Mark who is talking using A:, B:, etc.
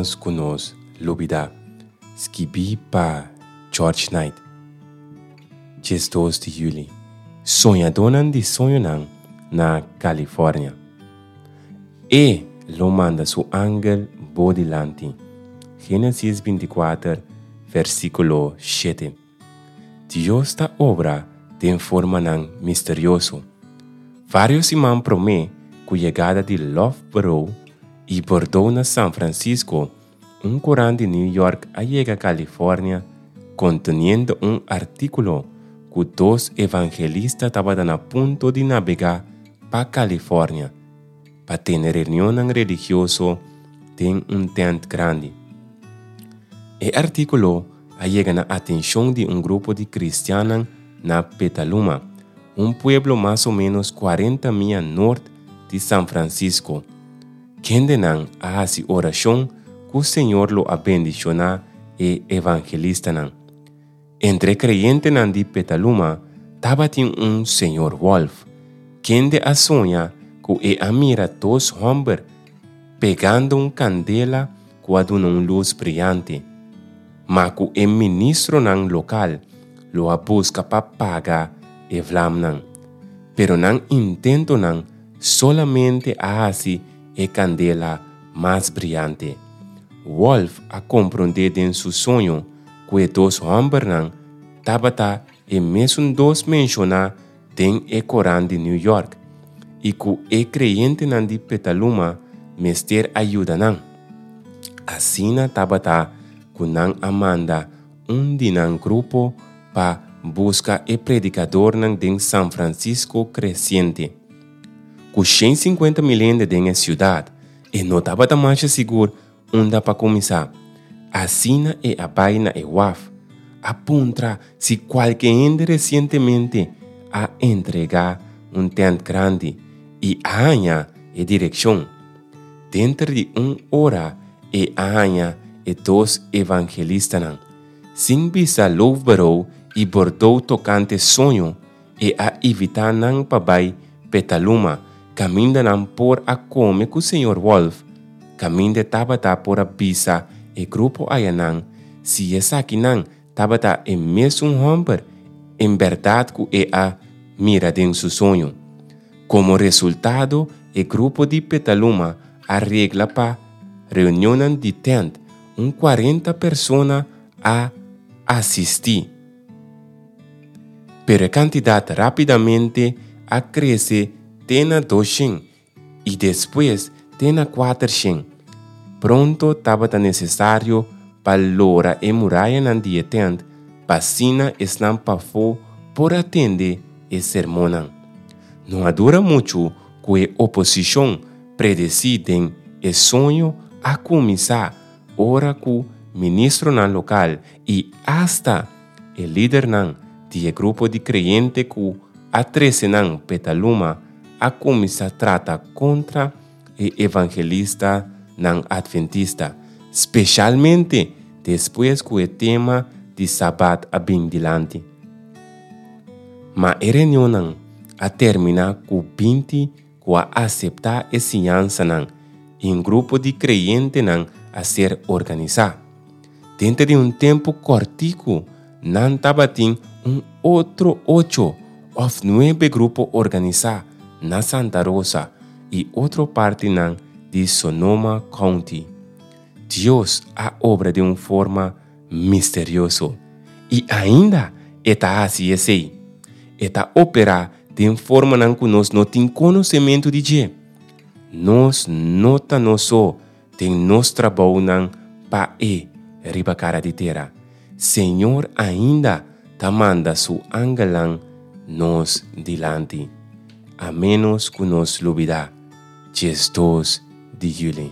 A: ménos ku nos lubidá. Skibí pa George Knight. 12 di yüli. Soñadónan di soñonan na California. E lo manda su angel bo dilanti. Génesis 24, versíkulo 7. Dios ta obra den formanan misterioso. Vários siman promé ku yegada di Loughborough i Bordeaux na San Francisco, un korant di New York a yega California konteniendo un artíkulo ku dos evangelista tabata na punto di nabegá pa California pa tene reunionnan religioso den un tènt grandi. E artíkulo a yega na atenshon di un grupo di kristiannan na Petaluma, un pueblo mas o ménos kuarenta mia nort di San Francisco. Kendenan a hasi orashon ku Señor lo a bendishoná e evangelistanan. Entre e kreyentenan di Petaluma tabatin un señor Wolf, kende a soña ku e a mira dos hòmber pegando un kandela ku a duna un lus briante, ma ku e ministronan lokal lo a buska pa paga e vlamnan. Pero nan intentonan solamente a hasi e kandela mas briante. Wolf a komprondé den su soño ku e dos hòmbernan tabata e mesun dos menshoná den e korant di New York i ku e kreyentenan di Petaluma mester a yuda nan. Asina tabata ku nan a manda un di nan grupo pa buska e predikadornan den San Francisco kresiente. Ku 150 mil hende den e siudat, e no tabata masha sigur Unda pa kuminsá? Asina e a bai na e waf, a puntra si kualke hende resientemente a entregá un tènt grandi i a haña e direkshon. Denter di un ora e a haña e dos evangelistanan. Sin bisa Loughborough i Bordeaux tokante soño, e a invitá nan pa bai Petaluma, kaminda nan por a kome ku señor Wolf, kaminda e tabata por a bisa e grupo ayanan si esakinan tabata e mesun hòmber en bèrdat ku e a mira den su soño. Komo resultado, e grupo di Petaluma a regla pa reunionnan di tènt, un kuarenta persona a asistí. Pero e kantidat rápidamente a krese te na doshen i despues te na kuatershen. Pronto tabata nesesario pa lora e murayanan di e tènt pa asina esnan pafó por a tende e sermonnan. No a dura muchu ku e oposishon predesí den e soño a kuminsá ora ku ministronan lokal i asta e lidernan di e grupo di kreyente ku a trese nan Petaluma a kuminsá trata kontra e evangelistanan atventista, speshalmente despues ku e tema di Sabat a bin dilanti. Ma e reunionnan a terminá ku 20 ku a aseptá e siñansanan i un grupo di kreyentenan a ser organisá. Denter di un tempu kòrtiku nan tabatin un otro ocho òf nuebe grupo organisá na Santa Rosa i otro partinan di Sonoma County. Dios a obra den un forma misterioso i ainda e ta hasi esei. E ta operá den formanan ku nos no tin konosementu di dje. Nos no ta nos so den nos trabounan pa E riba kara di tera. Señor ainda ta manda Su angelnan nos dilanti. A ménos ku nos lubidá 12 di yüli.